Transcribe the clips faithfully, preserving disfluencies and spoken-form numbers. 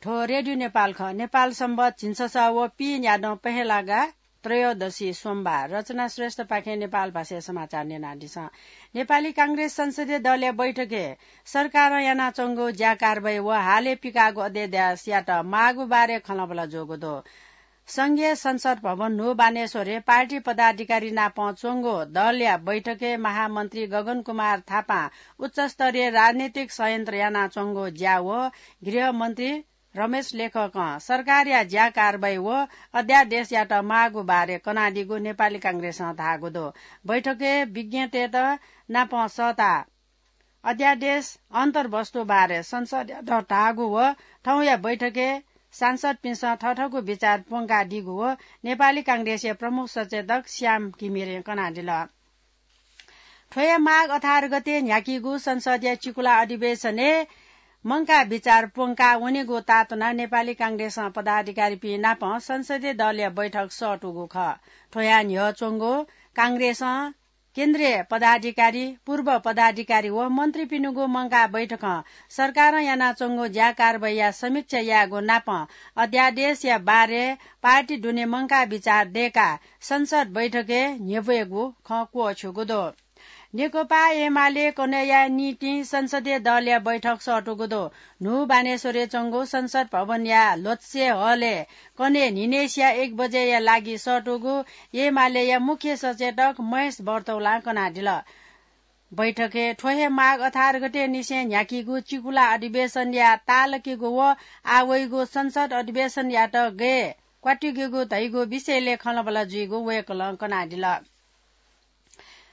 थ्व रेडियो नेपाल खः। नेपाल संवत् झिंछसः व पीन्यादँ पहेँलागा त्रयोदशी सोमबार। रचना श्रेष्ठपाखें नेपाल भाषाय् समाचार न्यनादिसँ। नेपाली कांग्रेस संसदीय दलया बैठकय् सरकारं यानाच्वंगु ज्या कारवाही व हालय् पिकाःगु अध्यादेशयात माःगु बारे खँल्हाबल्हा जूगु दु। संघीय संसद भवन न्हू बानेश्वरय् पार्टी पदाधिकारी नाप च्वंगु दलया बैठकय् महामन्त्री गगन कुमार थापां उच्चस्तरीय राजनीतिक षड्यन्त्र यानाच्वंगु ज्या व गृहमन्त्री रमेश लेखकं सरकारया ज्या कारवाही व अध्यादेशयात माःगु बारे कनादीगु नेपाली कांग्रेसं धाःगु दु। बैठकय् विज्ञतय्त नाप सःताः अध्यादेश अन्तर्वस्तु बारे संसदयात धाःगु व थौंया बैठकय् सांसदपिन्सं थःथःगु विचार प्वंकादीगु व नेपाली कांग्रेसया प्रमुख सचेतक श्याम घिमिरें कनादिल। थ्व हे माघ अठार गते न्ह्याकीगु संसदया चिकुला अधिवेशनय् मंकाः विचार प्वंका वनेगु तातुनाः नेपाली कांग्रेसं पदाधिकारीपिं नाप संसदीय दलया बैठक सःतूगु खः। थ्वया न्ह्यः च्वंगु कांग्रेसं केन्द्रीय पदाधिकारी, पूर्व पदाधिकारी व मन्त्रीपिनिगु मंकाः बैठकं सरकारं यानाच्वंगु ज्या कारवाहीया समीक्षा यायेगु नाप अध्यादेशया बारे पार्टी दुने मंकाः विचार दयेकाः संसद बैठकय् न्ह्यब्वयेगु खँ क्वःछ्यूगु दु। नेकपा एमाले कन्हय्‌या निंतिं संसदीय दलया बैठक सःतूगु दु। न्हू बानेश्वरय् च्वंगु संसद भवनया ल्होत्से हलय् कन्हय् न्हिनय्‌सिया एक बजेया लागि सःतूगु एमालेया मुख्य सचेतक महेश बर्तौलां कनादिल। बैठकय् थ्व हे माघ अठार गते निसें न्ह्याकीगु चिकुला अधिवेशनया ताःलाकीगु व आः वइगु संसद अधिवेशनयात गय् क्वात्तुकेगु धइगु विषयलय् खँल्हाबल्हा जुइगु वय्‌कलं कनादिल।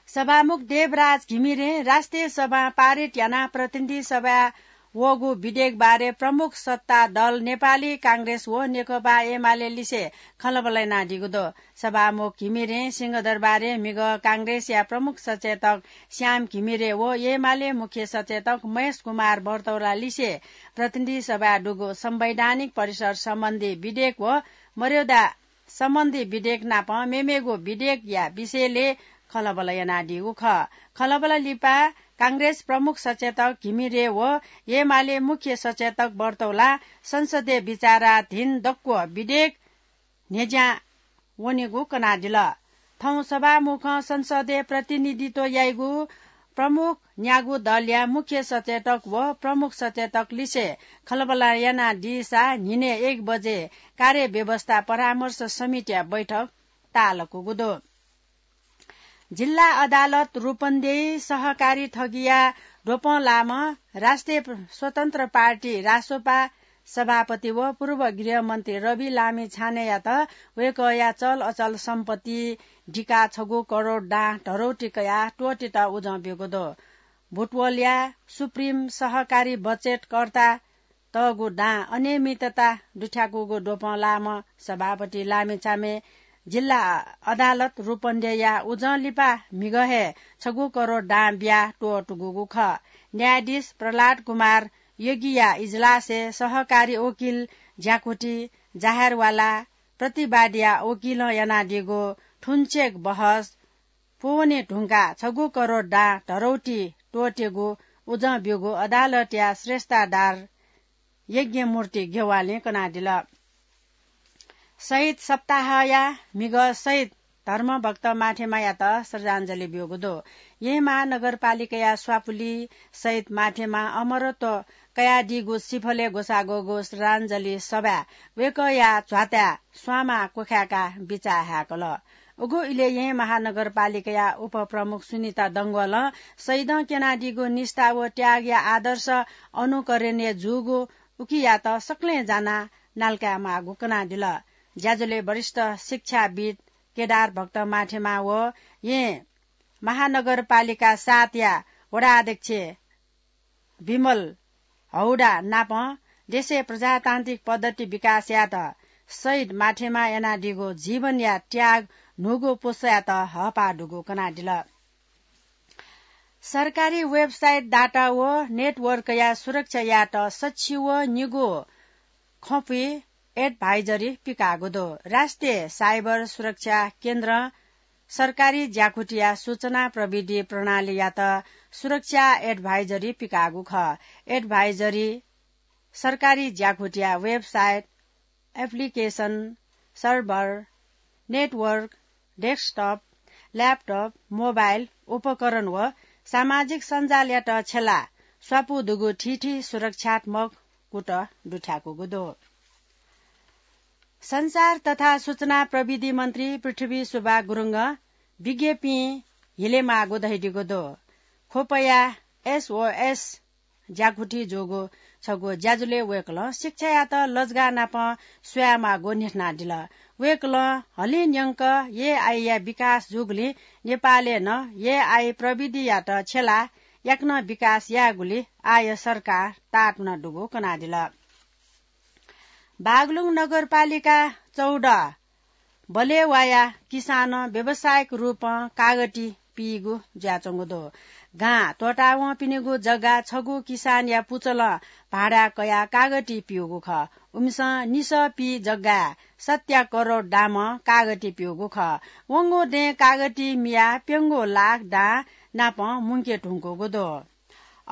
सभामुख देवराज घिमिरें राष्ट्रिय सभां पारित यानाः प्रतिनिधि सभाय् वःगु विधेयक बारे प्रमुख सत्ता दल नेपाली कांग्रेस व नेकपा एमाले लिसे खँल्हाबल्हा यानादीगु दु। सभामुख घिमिरें सिंहदरबारय् म्हिगः कांग्रेसया प्रमुख सचेतक श्याम घिमिरे व एमाले मुख्य सचेतक महेश कुमार बर्तौला लिसे प्रतिनिधि सभाय् दुगु संवैधानिक परिषद सम्बन्धी विधेयक व मर्यादा सम्बन्धी विधेयक नाप मेमेगु विधेयकया विषयलय् खँल्हाबल्हा यानादीगु खः। खँल्हाबल्हा लिपा कांग्रेस प्रमुख सचेतक घिमिरे व एमाले मुख्य सचेतक बर्तौला संसदय् विचाराधीन दक्व विधेयक न्ह्यज्यां वनेगु कनादिल। थौं सभामुखं संसदय् प्रतिनिधित्व याइगु प्रमुख न्यागू दलया मुख्य सचेतक व प्रमुख सचेतक लिसे खँल्हाबल्हा यानादीसा न्हिनय् एक बजे कार्यव्यवस्था परामर्श समितिया बैठक ताःलाकूगु दु। जिल्ला अदालत रूपन्देही सहकारी थगिया द्वपं लाःम्ह राष्ट्रिय स्वतन्त्र पार्टी रासोपा सभापति व पूर्व गृहमन्त्री रवि लामिछानेयात वय्‌कःया चल अचल सम्पत्ति दिकाः छगू करोड दां धरौटी कयाः त्वःतेत उजं ब्यूगु दु। बुटवलया सुप्रिम सहकारी बचतकर्ता तःगु दां अनियमितता दुथ्याकूगु द्वपं लाःम्ह सभापति लामिछाने जिल्ला अदालत रूपन्देहीया उजं लिपा म्हिगः हे छगू करोड दां बियाः त्वःतूगु खः। न्यायाधीश प्रह्लाद कुमार योगीया इजलासय् सहकारी वकिल ज्याकुथि जाहेरवाला प्रतिवादीया वकिलं यानादीगु थुन्चेक बहस पूवने धुंकाः छगू करोड दां धरौटी त्वःतेगु उजं ब्यूगु अदालतया श्रेष्ठाधार यज्ञमूर्ति गेवालीं कनादिल। शहीद सप्ताहया म्हिगः शहीद धर्मभक्त माथेमायात श्रद्धाञ्जली ब्यूगु दु। येँ महानगरपालिकाया स्वापुली शहीद माथेमा अमरत्व कयादीगु सिफलय् ग्वसाः ग्वःगु श्रद्धाञ्जली सभाय् वय्‌कःया झ्वाताय् स्वांमा क्वखाय्‌काः बिचाः हाय्‌कल। उगु इलय् येँ महानगरपालिकाया उपप्रमुख सुनिता डंगोलं शहीदं क्यनादीगु निष्ठा व त्यागया आदर्श अनुकरणीय जूगु उकियात सकलें जानाः नालाकायेमाःगु कनादिल। ज्याझ्वलय् वरिष्ठ शिक्षाविद् केदार भक्त माथेमा व येँ महानगरपालिका सातया वडा अध्यक्ष विमल हौडा नाप देशय् प्रजातान्त्रिक पद्धति विकास यायेत शहीद माथेमा यानादीगु जीवनया त्याग न्हूगु पुस्तायात हःपाः दुगु कनादिल। सरकारी website, data व network या सुरक्षा यायेत सछि व निगू खँपुइ advisory पिकाःगु दु। राष्ट्रिय cyber सुरक्षा केन्द्रं सरकारी ज्याकुथिया सूचना प्रविधि प्रणालीयात सुरक्षा advisory पिकाःगु खः। Advisory सरकारी ज्याकुथिया website, application, server, network, desktop, laptop, mobile उपकरण व सामाजिक सञ्जालयात छ्यला स्वापू दुगु थीथी सुरक्षात्मक कुतः दुथ्याकूगु दु। सञ्चार तथा सूचना प्रविधि मन्त्री पृथ्वी सुब्बा गुरुङं विज्ञपिं हिलेमाःगु धयादीगु दु। ख्वपया SOS ज्याकुथि जूगु छगू ज्याझ्वलय् वय्कलं शिक्षायात लजगाः नाप स्वयामाःगु न्ह्यथनादिल। वय्कलं हलिं न्यंक AI या विकास जूगुलिं नेपालय् नं AI प्रविधियात छ्यला याकनं विकास यायेगुली आः सरकार ताःतुना दुगु कनादिल। बागलुङ नगरपालिका चौध बलेवाया किसानं व्यावसायिक रूपं कागती पीगु जुयाच्वंगु दु। गां त्वःतावंपिनिगु जग्गा छगू किसानया पुचलं भाडा कयाः कागती पीगु खः। उमिसं निसः पी जग्गाय् सत्या करोड दामं कागती पीगु खः। वंगु दँय् कागती मियाः प्यंगू लाख दां नापं मुंके धुंकूगु दु।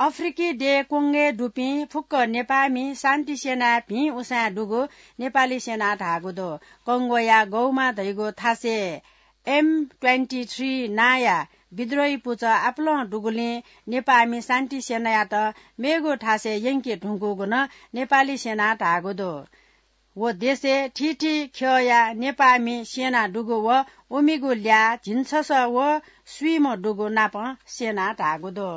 अफ्रिकी देय् कोंगोय् दुपिं फुक्क नेपाःमि शान्ति सेनाय् भिं उसाँय् दुगु नेपाली सेनां धाःगु दु। कोंगोया गौमा धइगु थासय् M twenty three नांया विद्रोही पुचः आपालं दुगुलिं नेपाःमि शान्ति सेनायात मेगु थासय् यंके धुंकूगु नं नेपाली सेनां धाःगु दु। व देशय् थीथी ख्यःया नेपाःमि स्यना दुगु व उमिगु ल्याः झिंछसः व स्वीम्ह दुगु नापं स्यना धाःगु दु।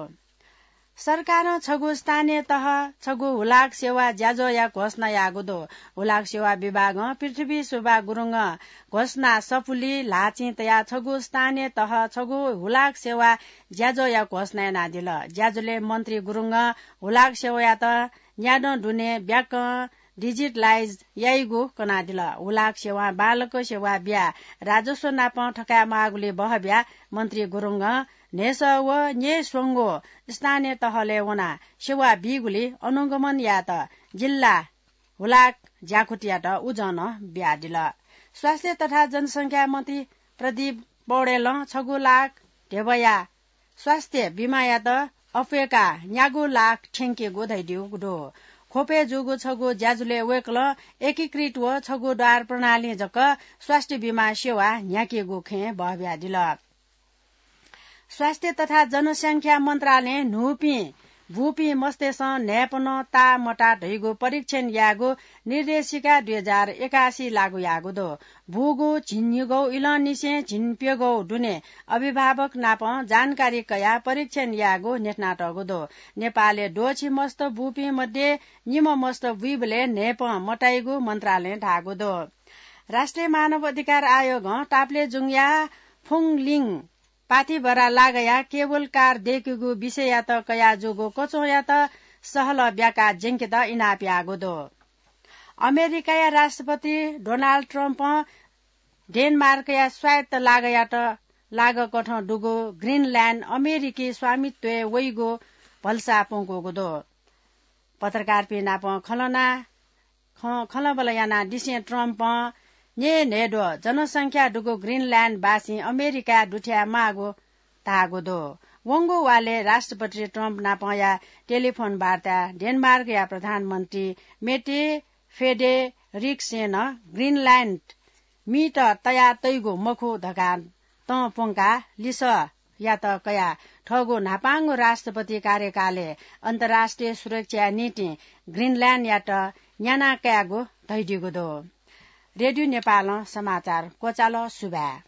सरकारं छगू स्थानीय तह छगू हुलाक सेवा ज्याझ्वःया घोषणा याःगु दु। हुलाक सेवा विभागं पृथ्वी सुब्बा गुरुङं घोषणा सफुली ल्हाःचिं तयाः छगू स्थानीय तह छगू हुलाक सेवा ज्याझ्वःया घोषणा यानादिल। ज्याझ्वलय् मन्त्री गुरुङं हुलाक सेवायात न्यादँ दुने ब्याकं digitalize याइगु कनादिल। हुलाक सेवां बांलाक सेवा बियाः राजस्व नापं थकायेमाःगुलिइ बहःब्याः मन्त्री गुरुङं न्हय्सः व न्यय्स्वंगू स्थानीय तहलय् वनाः सेवा बीगुलिइ अनुगमन यायेत जिल्ला हुलाक ज्याकुथियात उजं नं बियादिल। स्वास्थ्य तथा जनसंख्या मन्त्री प्रदीप पौडेलं छगू लाख धेबया स्वास्थ्य बिमायात अप्वय्काः न्यागू लाख थ्यंकेगु धयादीगु दु। ख्वपय् जूगु छगू ज्याझ्वलय् वय्कलं एकीकृत व छगू द्वार प्रणालीं जक स्वास्थ्य बिमा सेवा न्ह्याकेगु खँय् बहःबियादिल। स्वास्थ्य तथा जनसंख्या मन्त्रालयं न्हूपिं बूपिं मस्तय्सं न्हाय्पनं ताः मताः धइगु परीक्षण यायेगु निर्देशिका दुई हजार एकासी लागू याःगु दु। बूगु झिंन्हय्गू इलंनिसें झिंप्यंगू दुने अभिभावक नाप जानकारी कयाः परीक्षण यायेगु न्ह्यथनातःगु दु। नेपालय् द्वःछि मस्त बूपिं मध्ये निम्ह मस्त बुइबलय् न्हाय्पं मताइगु मन्त्रालयं धाःगु दु। राष्ट्रिय मानव अधिकार आयोगं ताप्लेजुङया फुङलिङ पाथिभरा लागःया केबल कार दय्केगु विषययात कयाजूगु कचंयात सहलह ब्याकाः ज्यंकेत इनाप याःगु दु। अमेरिकाया राष्ट्रपति डोनाल्ड ट्रम्पं डेनमार्कया स्वायत्त लागःयात लागःकथं दुगु ग्रिनल्याण्ड अमेरिकी स्वामित्वय् वइगु भलसा प्वंकूगु दु। पत्रकारपिं नाप खँल्हाना खँ खँल्हाबल्हा यानादिसें ट्रम्पं न्यय्न्हय्द्वः जनसंख्या दुगु ग्रिनल्याण्डवासीं अमेरिकाय् दुथ्याये माःगु धाःगु दु। वंगु वालय् राष्ट्रपति ट्रम्प नापया टेलिफोन वार्ताय् डेनमार्कया प्रधानमन्त्री मेटे फेडेरिक्सेनं ग्रिनल्याण्ड मीत तयातइगु मखु धकाः तं प्वंकाः लिसः यात कयाः थःगु न्हापांगु राष्ट्रपति कार्यकालय् अन्तर्राष्ट्रिय सुरक्षाया निंतिं ग्रिनल्याण्डयात न्याना कायेगु धयादीगु दु। रेडियो नेपालं समाचार क्वचाल। सुभाय्।